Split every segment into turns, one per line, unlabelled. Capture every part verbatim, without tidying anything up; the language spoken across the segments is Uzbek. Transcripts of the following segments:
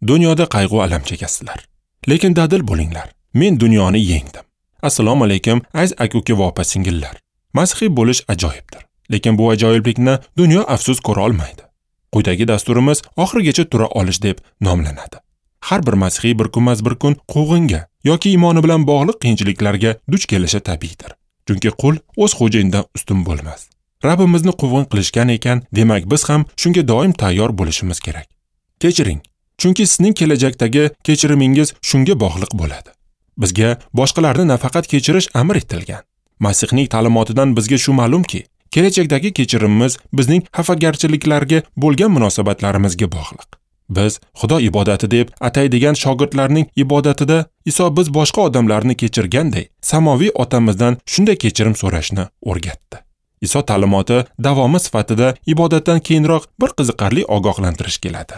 Dunyoda qayg'u alam chekasizlar. Lekin dadil bo'linglar. Men dunyoni yengdim. Assalomu alaykum, aziz aka-uka va opa-singillar. Masihiy bo'lish ajoyibdir. Lekin bu ajoyiblikni dunyo afsus ko'ra olmaydi. Quyidagi dasturimiz oxirigacha tura olish deb nomlanadi. Har bir masihiy bir kunmas bir kun quvg'inga yoki iymoni bilan bog'liq qiyinchiliklarga duch kelishi tabiiydir. Chunki qul o'z xo'jayinidan ustun bo'lmas. Rabbimizni quvg'in qilishgan ekan, demak biz ham shunga doim tayyor bo'lishimiz kerak. Kechiring, chunki sizning kelajakdagi kechirimingiz shunga bog'liq bo'ladi. Bizga boshqalarni nafaqat kechirish amr etilgan. Masihning ta'limotidan bizga shu ma'lumki, kelajakdagi kechirimimiz bizning xafagarchiliklarga bo'lgan munosabatlarimizga bog'liq. Biz Xudo ibodati deb ataydigan shogirdlarning ibodatida Iso biz boshqa odamlarni kechirganday, samoviy otamizdan shunday kechirim so'rashni o'rgatdi. Iso ta'limoti davomi sifatida ibodatdan keyinroq bir qiziqarli ogohlantirish keladi.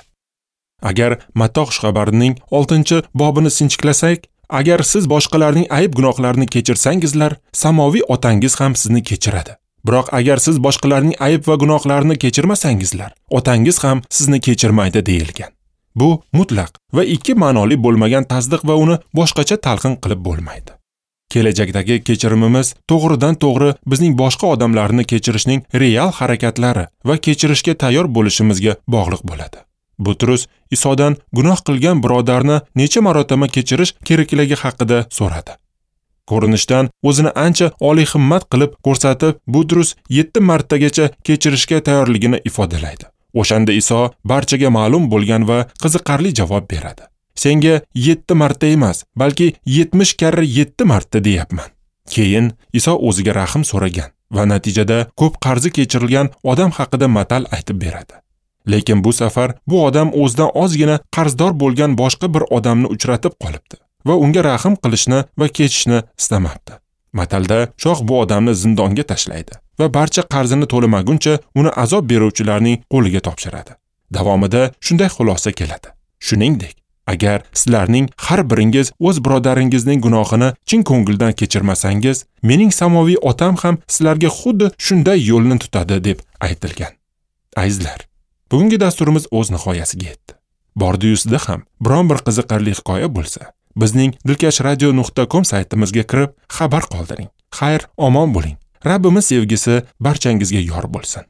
Agar Matto xushxabarining oltinchi bobini sinchiklasak, agar siz boshqalarning ayb gunohlarini kechirsangizlar, samoviy otangiz ham sizni kechiradi. Biroq agar siz boshqalarning ayb va gunohlarini kechirmasangizlar, otangiz ham sizni kechirmaydi deyilgan. Bu mutlaq va ikki ma'noli bo'lmagan tasdiq va uni boshqacha talqin qilib bo'lmaydi. Kelajakdagi kechirimimiz to'g'ridan to'g'ri bizning boshqa odamlarni kechirishning real harakatlari va kechirishga tayyor bo'lishimizga bog'liq bo'ladi. Butrus Isodan gunoh qilgan birodarni necha marotaba kechirish kerakligi haqida so'radi. Ko'rinishdan o'zini ancha oliy himmat qilib ko'rsatib, Butrus yetti martagacha kechirishga tayyorligini ifodalaydi. O'shanda Iso barchaga ma'lum bo'lgan va qiziqarli javob beradi. Senga yetti marta emas, balki yetmish karra yetti marta deyapman. Keyin Iso o'ziga rahim so'ragan va natijada ko'p qarzi kechirilgan odam haqida matal aytib beradi. Lekin bu safar bu odam o'zidan ozgina qarzdor bo'lgan boshqa bir odamni uchratib qolibdi va unga rahim qilishni va kechishni istamabdi. Matalda shoh bu odamni zindonga tashlaydi va barcha qarzini to'lamaguncha uni azob beruvchilarning qo'liga topshiradi. Davomida shunday xulosa keladi. Shuningdek, agar sizlarning har biringiz o'z birodaringizning gunohini chin ko'ngildan kechirmasangiz, mening samoviy otam ham sizlarga xuddi shunday yo'lni tutadi deb aytilgan. Azizlar, bugungi dasturimiz o'z nihoyasiga yetdi. Bordi-yusida ham biron bir qiziqarli hikoya bo'lsa, bizning dilkash radio nuqta com saytimizga kirib xabar qoldiring. Xayr, omon bo'ling. Rabbimiz sevgisi barchangizga yor bo'lsin.